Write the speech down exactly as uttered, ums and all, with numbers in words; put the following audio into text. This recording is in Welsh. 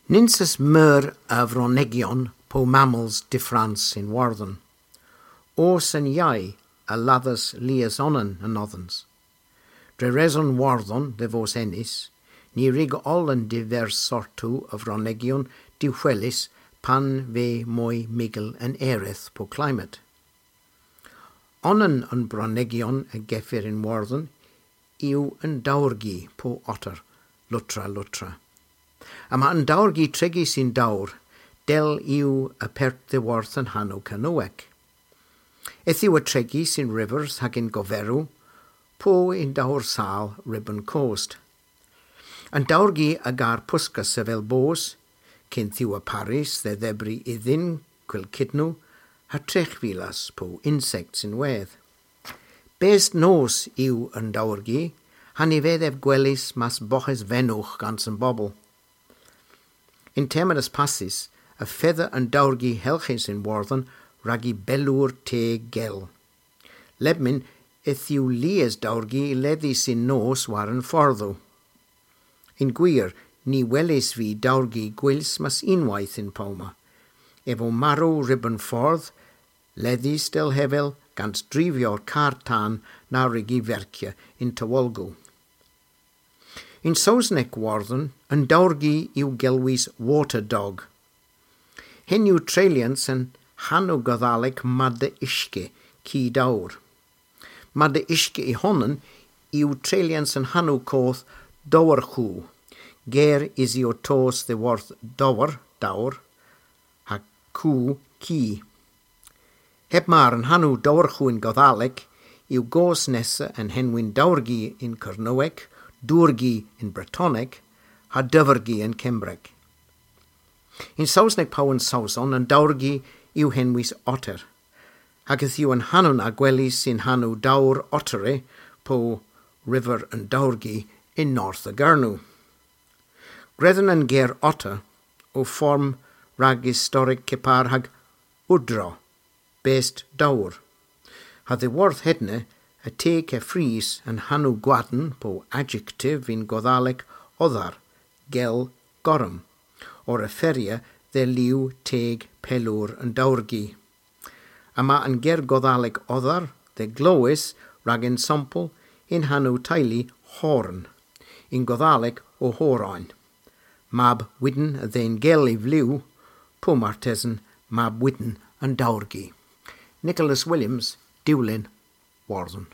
Nyns meur a vronegion po mammals diffrans in Warthen. Os en iau a ladders lias onan an othens. Dre reson Warthon de vos ennis, ni rig all an divers sortu of vronegion diwhelus pan ve moi migel an ereth po climate. Onan an bronegion a geffir in Warthen yw yn dawrgi po otter, lutra lutra. A ma yn dawrgi tregi sy'n dawr, del yw y pert ddiwarth yn hanw Canoec. Eth yw y tregi sy'n rivers hag yn goferw, po yn dawr sal ribbon coast. Yn dawrgi a gar pwsgas sefel bos, cyn thiw y Paris dde ddebri iddyn cwyl cydnw, ha trechfilas po insects yn wedd. Best nos yw yn dawrgi, han i feddef gwelys mas boches fenwch gans yn bobl. In terminus passis, y feather yn dawrgi helchus yn Warthen rag i belwr te gel. Lebmin eth yw lies dawrgi leddi sy'n nos war yn fforddw. In gwir, ni welis fi dawrgi gwils mas unwaith yn Poma. Efo marw ribbon ffordd, leddis del hefel gans drifio'r car tan na rigi fercia in tywolgw. In Saesneg Warthen, yn dawrgi yw gelwys water dog. Hyn yw treuliant yn hanw Goddalec madde isge, ci dawr. Madde isge i honan yw treuliant yn hanw coth dowrchw, ger is i o tos the worth dowr, dawr, ha cw, ci. Heb mar yn hanw dowrchw yn Goddalec yw gos nesa yn henwyn dawrgi yn Cernowec, dwrgi yn Bretoneg, ha dyfrgi yn Cembreg. In Saesneg paw yn Saeson yn dawrgi yw henwys otter. Ac yth yw yn hanwn a gwely sy'n hanw dawr ottere po river yn dawrgi in North y Gernw. Gredden yn ger otter o form rag historic cepar hag wdro, best dawr. Ha ddiworth hedne y teg e fris yn hanw gwadn po adjective in Goddalec oddar, gel gorm, o'r efferia dde liw teg pelwr yn dawrgi. A ma yn ger Goddalec oddar, dde glowys rag ensample in hanw teulu horn, in Goddalec o horain. Mab widden y dde'n gel i fliw, po martesen mab widden yn dawrgi. Nicholas Williams, Dewlyn, Warthen.